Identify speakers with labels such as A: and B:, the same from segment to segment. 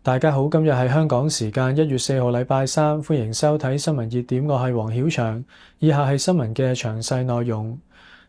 A: 大家好，今日係香港時間1月4號禮拜三，歡迎收睇新聞熱點，我係黃曉翔。以下係新聞嘅詳細內容。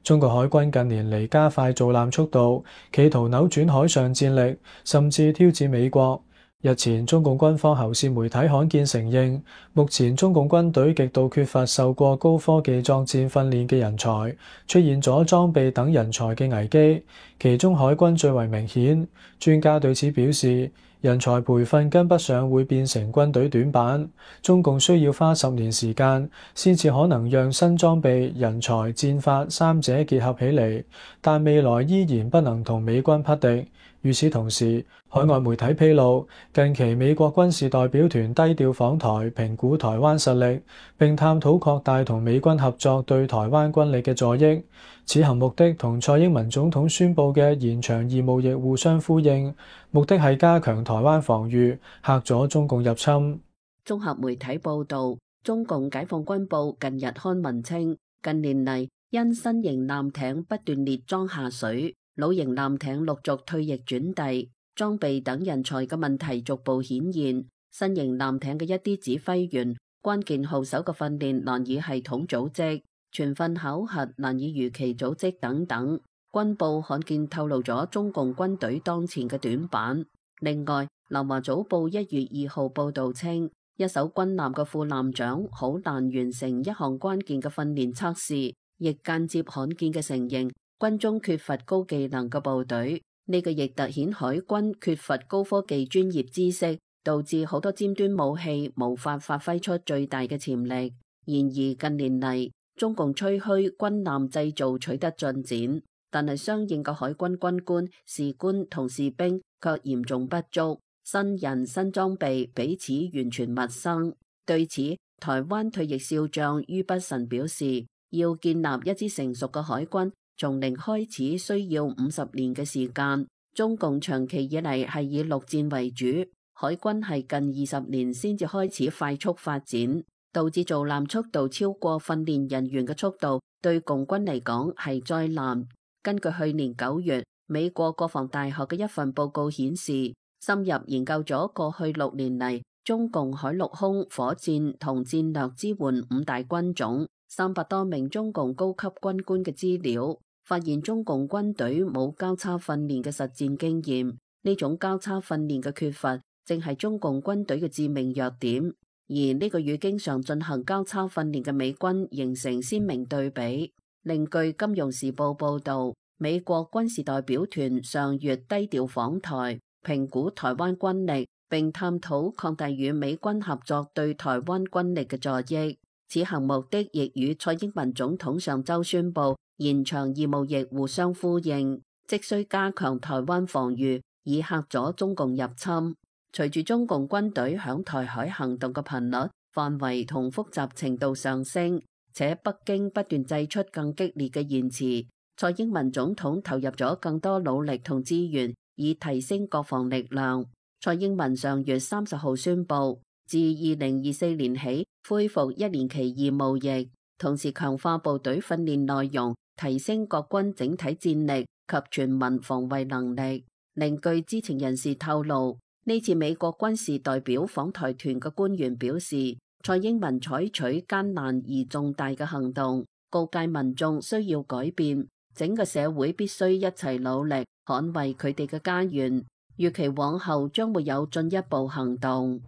A: 中國海軍近年嚟加快造艦速度，企圖扭轉海上戰力，甚至挑戰美國。日前，中共軍方喉舌媒體罕見承認，目前中共軍隊極度缺乏受過高科技作戰訓練嘅人才，出現咗裝備等人才嘅危機，其中海軍最為明顯。專家對此表示，人才培訓跟不上會變成軍隊短板，中共需要花10年時間先至可能讓新裝備、人才、戰法三者結合起嚟，但未來依然不能同美軍匹敵。與此同時，海外媒體披露，近期美國軍事代表團低調訪台，評估台灣實力，並探討擴大同美軍合作對台灣軍力嘅助益。此行目的同蔡英文總統宣布嘅延長義務役互相呼應，目的係加強台灣防禦，嚇咗中共入侵。
B: 綜合媒體報導，中共解放軍報近日刊文稱，近年嚟因新型艦艇不斷列裝下水，老型艦艇陸續退役轉隸，裝備等人才嘅問題逐步顯現。新型艦艇嘅一啲指揮員、關鍵號手嘅訓練難以系統組織，全訓考核難以如期組織等等。軍報罕見透露咗中共軍隊當前嘅短板。另外，南華早報1月2號報導稱，一艘軍艦嘅副艦長好難完成一項關鍵嘅訓練測試，亦間接罕見嘅承認軍中缺乏高技能嘅部隊。呢個亦凸顯海軍缺乏高科技專業知識，導致好多尖端武器無法發揮出最大嘅潛力。然而近年嚟，中共吹噓軍艦製造取得進展，但係相應嘅海軍軍官、士官同士兵卻嚴重不足，新人新裝備彼此完全陌生。對此，台灣退役少將于北辰表示，要建立一支成熟嘅海軍，從零開始需要50年嘅時間。中共長期以嚟係以陸戰為主，海軍係近20年先至開始快速發展，導致造艦速度超過訓練人員嘅速度，對共軍嚟講係災難。根據去年9月美國國防大學嘅一份報告顯示，深入研究咗過去6年嚟中共海陸空火箭同戰略支援5大軍種300多名中共高級軍官嘅資料，發現中共軍隊冇交叉訓練嘅實戰經驗，呢種交叉訓練嘅缺乏正係中共軍隊嘅致命弱點，而呢個與經常進行交叉訓練嘅美軍形成鮮明對比。另據《金融時報》報導，美國軍事代表團上月低調訪台，評估台灣軍力，並探討擴大與美軍合作對台灣軍力嘅助益。此行目的亦與蔡英文總統上週宣布延長義務役互相呼應，即需加強台灣防禦，以嚇咗中共入侵。隨住中共軍隊響台海行動嘅頻率、範圍同複雜程度上升，且北京不斷祭出更激烈嘅言辭，蔡英文總統投入咗更多努力同資源，以提升國防力量。蔡英文上月30號宣布，自2024年起恢復1年期義務役，同時強化部隊訓練內容，提升國軍整體戰力及全民防衛能力。另據知情人士透露，呢次美國軍事代表訪台團嘅官員表示，蔡英文採取艱難而重大嘅行動，告誡民眾需要改變，整個社會必須一齊努力捍衛佢哋嘅家園。預期往後將會有進一步行動。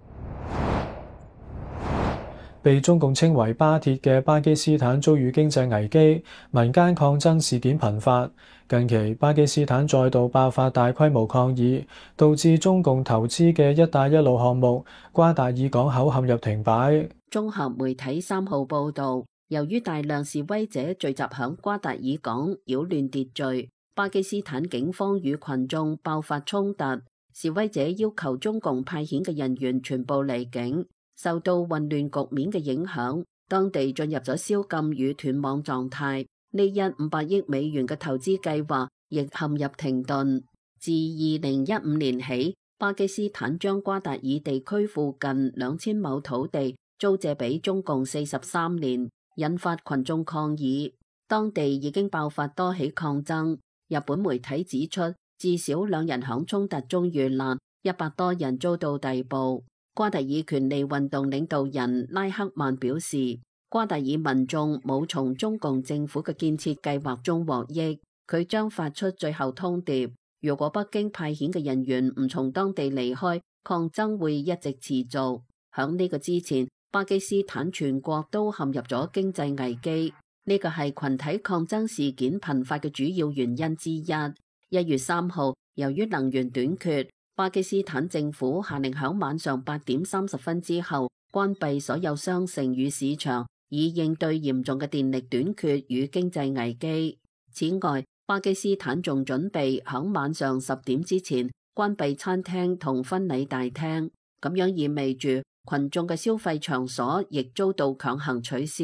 A: 被中共稱為巴鐵嘅巴基斯坦遭遇經濟危機，民間抗爭事件頻發。近期巴基斯坦再度爆發大規模抗議，導致中共投資嘅一帶一路項目瓜達爾港口陷入停擺。
B: 綜合媒體3號報導，由於大量示威者聚集響瓜達爾港擾亂秩序，巴基斯坦警方與群眾爆發衝突，示威者要求中共派遣嘅人員全部離境。受到混亂局面嘅影響，當地進入咗宵禁與斷網狀態。呢一500億美元嘅投資計劃亦陷入停頓。自2015年起，巴基斯坦將瓜達爾地區附近2000畝土地租借俾中共43年，引發群眾抗議。當地已經爆發多起抗爭。日本媒體指出，至少2人響衝突中遇難， 100多人遭到逮捕。瓜達爾權利運動領導人拉克曼表示，瓜達爾民眾冇從中共政府嘅建設計劃中獲益。佢將發出最後通牒，如果北京派遣嘅人員唔從當地離開，抗爭會一直持續。響呢個之前，巴基斯坦全國都陷入咗經濟危機，呢個係群體抗爭事件頻發嘅主要原因之一。1月3號，由於能源短缺，巴基斯坦政府下令響晚上8點30分之後關閉所有商城與市場，以應對嚴重嘅電力短缺與經濟危機。此外，巴基斯坦仲準備響晚上10點之前關閉餐廳同婚禮大廳，咁樣意味住群眾嘅消費場所亦遭到強行取消。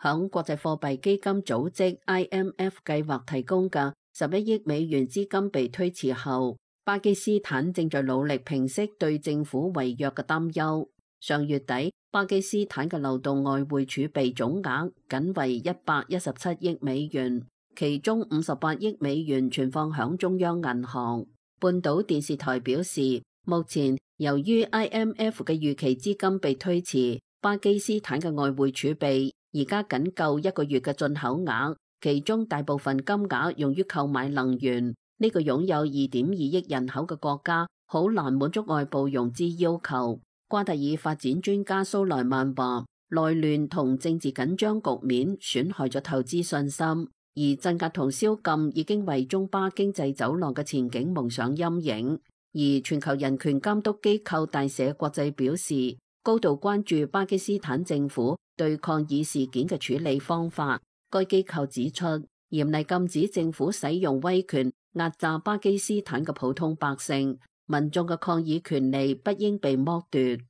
B: 響國際貨幣基金組織 IMF 計劃提供嘅11億美元資金被推遲後，巴基斯坦正在努力平息對政府違約嘅擔憂。上月底，巴基斯坦嘅流動外匯儲備總額僅為117億美元，其中58億美元存放響中央銀行。半島電視台表示，目前由於 IMF 嘅預期資金被推遲，巴基斯坦嘅外匯儲備而家僅夠1個月嘅進口額，其中大部分金額用於購買能源。呢個擁有2.2億人口嘅國家好難滿足外部融資要求。瓜達爾發展專家蘇萊曼話，內亂同政治緊張局面損害咗投資信心，而鎮壓同宵禁已經為中巴經濟走廊嘅前景蒙上陰影。而全球人權監督機構大社國際表示，高度關注巴基斯坦政府對抗議事件嘅處理方法。該機構指出，嚴厲禁止政府使用威權壓榨巴基斯坦嘅普通百姓，民眾嘅抗議權利不應被剝奪。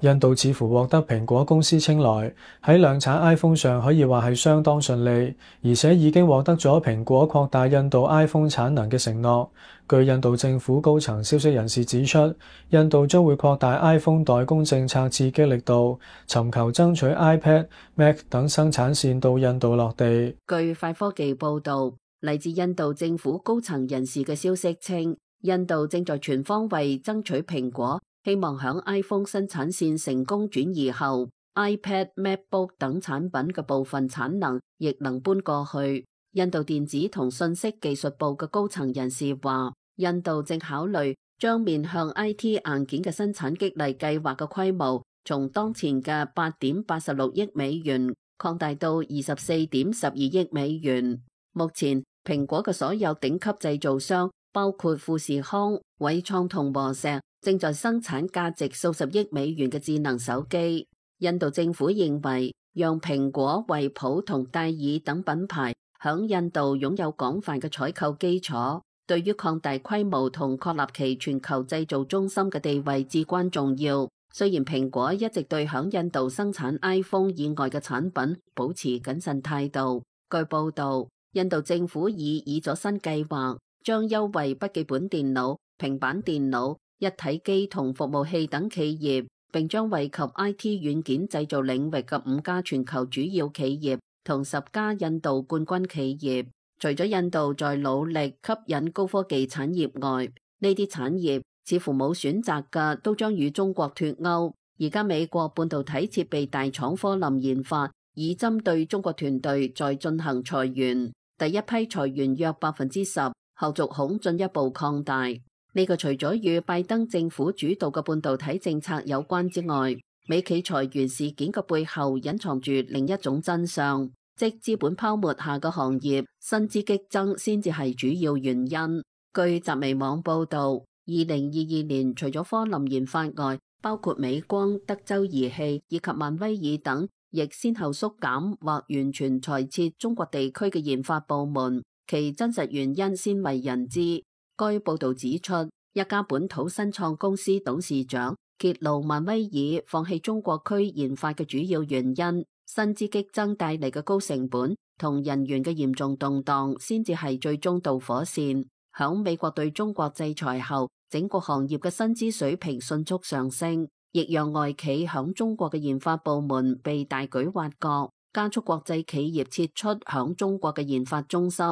A: 印度似乎獲得蘋果公司青睞，喺量產 iPhone 上可以話係相當順利，而且已經獲得咗蘋果擴大印度 iPhone 產能嘅承諾。據印度政府高層消息人士指出，印度將會擴大 iPhone 代工政策刺激力度，尋求爭取 iPad、Mac 等生產線到印度落地。
B: 據快科技報導，嚟自印度政府高層人士嘅消息稱，印度正在全方位爭取蘋果希望響 iPhone 生產線成功轉移後 ，iPad、MacBook 等產品嘅部分產能亦能搬過去。印度電子同信息技術部嘅高層人士話，印度正考慮將面向 IT 硬件嘅生產激勵計劃嘅規模，從當前嘅8.86億美元擴大到24.12億美元。目前，蘋果嘅所有頂級製造商，包括富士康、偉創同和碩，正在生產價值數十億美元嘅智能手機。印度政府認為，讓蘋果、惠普同戴爾等品牌響印度擁有廣泛嘅採購基礎，對於擴大規模同確立其全球製造中心嘅地位至關重要。雖然蘋果一直對響印度生產 iPhone 以外嘅產品保持謹慎態度。據報道，印度政府已擬咗新計劃，將優惠筆記本電腦、平板電腦、一體機同服務器等企業，並將惠及 IT 軟件製造領域嘅5家全球主要企業同10家印度冠軍企業。除咗印度在努力吸引高科技產業外，呢啲產業似乎冇選擇嘅都將與中國脫鈎。而家美國半導體設備大廠科林研發已針對中國團隊在進行裁員，第一批裁員約10%，後續恐進一步擴大。呢個除咗與拜登政府主導嘅半導體政策有關之外，美企裁員事件嘅背後隱藏住另一種真相，即資本泡沫下嘅行業薪資激增先至係主要原因。據集微網報導，2022年除咗科林研發外，包括美光、德州儀器以及萬威爾等，亦先後縮減或完全裁撤中國地區嘅研發部門，其真實原因鮮為人知。該報導指出，一家本土新創公司董事長揭露萬威爾放棄中國區研發嘅主要原因，薪資激增帶嚟嘅高成本同人員嘅嚴重動盪先至係最終導火線。響美國對中國制裁後，整個行業嘅薪資水平迅速上升，亦讓外企響中國嘅研發部門被大舉挖角，加速國際企業撤出響中國嘅研發中心。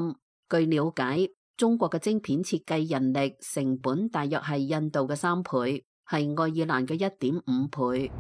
B: 據了解，中國嘅晶片設計人力成本大約係印度嘅3倍，係愛爾蘭嘅1.5倍。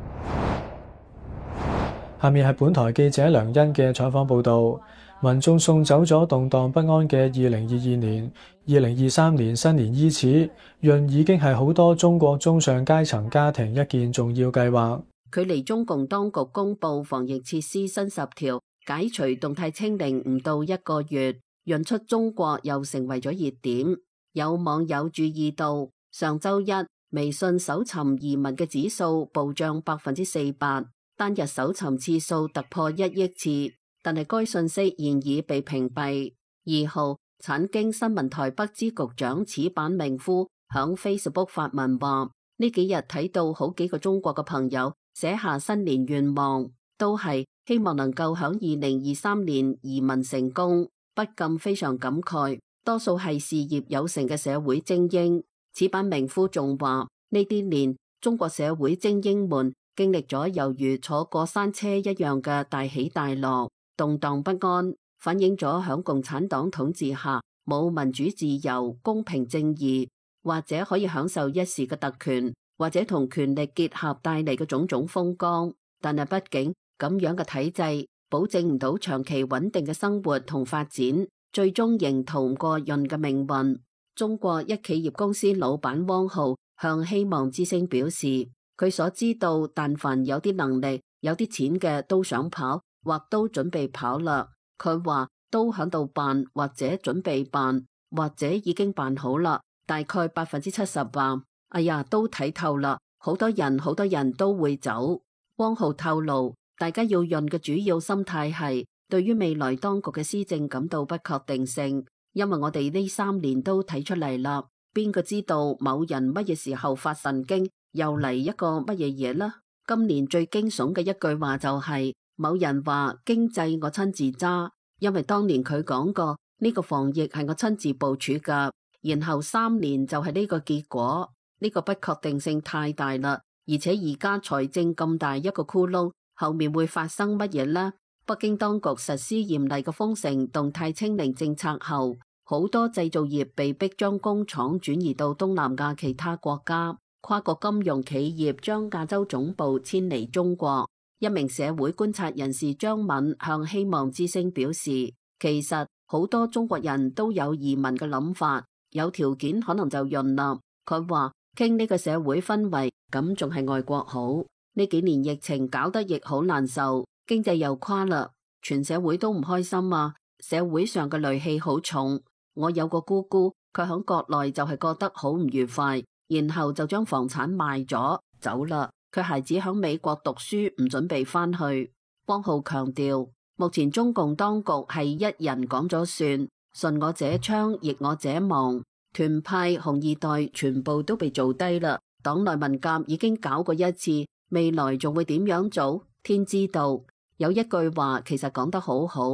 A: 下面係本台記者梁欣嘅採訪報導。民眾送走咗動盪不安嘅2022年，2023年新年伊始，閏已經係好多中國中上階層家庭一件重要計劃。
B: 距離中共當局公布防疫設施新10條，解除動態清零唔到1個月，閏出中國又成為咗熱點。有網友注意到，上週一微信搜尋移民嘅指數暴漲400%，單日搜尋次數突破1億次。但係該信息現已被屏蔽。2號，產經新聞台北支局長矢板明夫響 Facebook 發文話：呢幾日睇到好幾個中國嘅朋友寫下新年願望，都係希望能夠響2023年移民成功，不禁非常感慨。多數係事業有成嘅社會精英。矢板明夫仲話：呢啲年中國社會精英們經歷咗猶如坐過山車一樣嘅大起大落。動盪不安，反映咗響共產黨統治下冇民主自由、公平正義，或者可以享受一時嘅特權，或者同權力結合帶嚟嘅種種風光。但係畢竟咁樣嘅體制，保證唔到長期穩定嘅生活同發展，最終仍逃唔過閏嘅命運。中國一企業公司老闆汪浩向希望之聲表示，佢所知道，但凡有啲能力、有啲錢嘅都想跑，或都準備跑啦。佢話都響度辦，或者準備辦，或者已經辦好啦。大概70%吧。哎呀，都睇透啦，好多人都會走。汪浩透露，大家要閏嘅主要心態係對於未來當局嘅施政感到不確定性，因為我哋呢3年都睇出嚟啦，邊個知道某人乜嘢時候發神經，又嚟一個乜嘢嘢啦？今年最驚悚嘅一句話就係，某人話經濟我親自揸，因為當年佢講過呢個防疫係我親自部署噶，然後3年就係呢個結果，呢個不確定性太大啦，而且而家財政咁大一個窟窿，後面會發生乜嘢呢？北京當局實施嚴厲嘅封城、動態清零政策後，好多製造業被迫將工廠轉移到東南亞其他國家，跨國金融企業將亞洲總部遷離中國。一名社會觀察人士張敏向希望之聲表示，其實好多中國人都有移民嘅諗法，有條件可能就閏啦。佢話傾呢個社會氛圍，咁仲係外國好。呢幾年疫情搞得亦好難受，經濟又垮啦，全社會都唔開心啊，社會上嘅戾氣好重。我有個姑姑，佢響國內就係覺得好唔愉快，然後就將房產賣咗走啦。佢孩子響美國讀書，唔準備翻去。汪浩強調，目前中共當局係一人講咗算，順我者昌，逆我者亡。團派紅二代全部都被做低啦。黨內文革已經搞過一次，未來仲會點樣做？天知道。有一句話其實講得好好，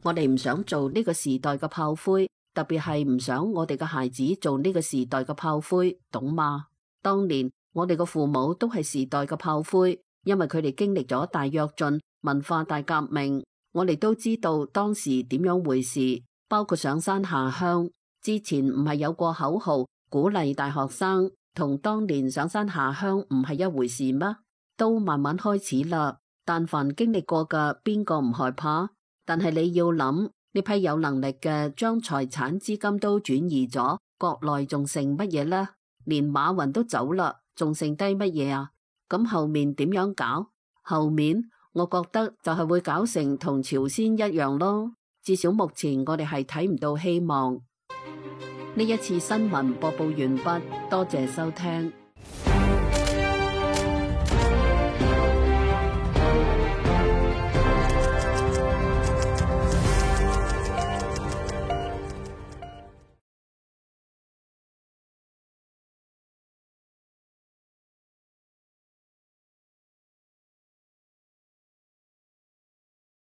B: 我哋唔想做呢個時代嘅炮灰，特別係唔想我哋嘅孩子做呢個時代嘅炮灰，懂嗎？當年我哋嘅父母都係時代嘅炮灰，因為佢哋經歷咗大躍進、文化大革命，我哋都知道當時點樣回事，包括上山下鄉。之前唔係有過口號鼓勵大學生，同當年上山下鄉唔係一回事咩？都慢慢開始啦。但凡經歷過嘅，邊個唔害怕？但係你要諗，呢批有能力嘅將財產資金都轉移咗，國內仲剩乜嘢呢？連馬雲都走啦，仲剩低乜嘢啊？咁後面點樣搞？後面我覺得就係會搞成同朝鮮一樣咯。至少目前我哋係睇唔到希望。呢一次新聞播報完畢，多謝收聽。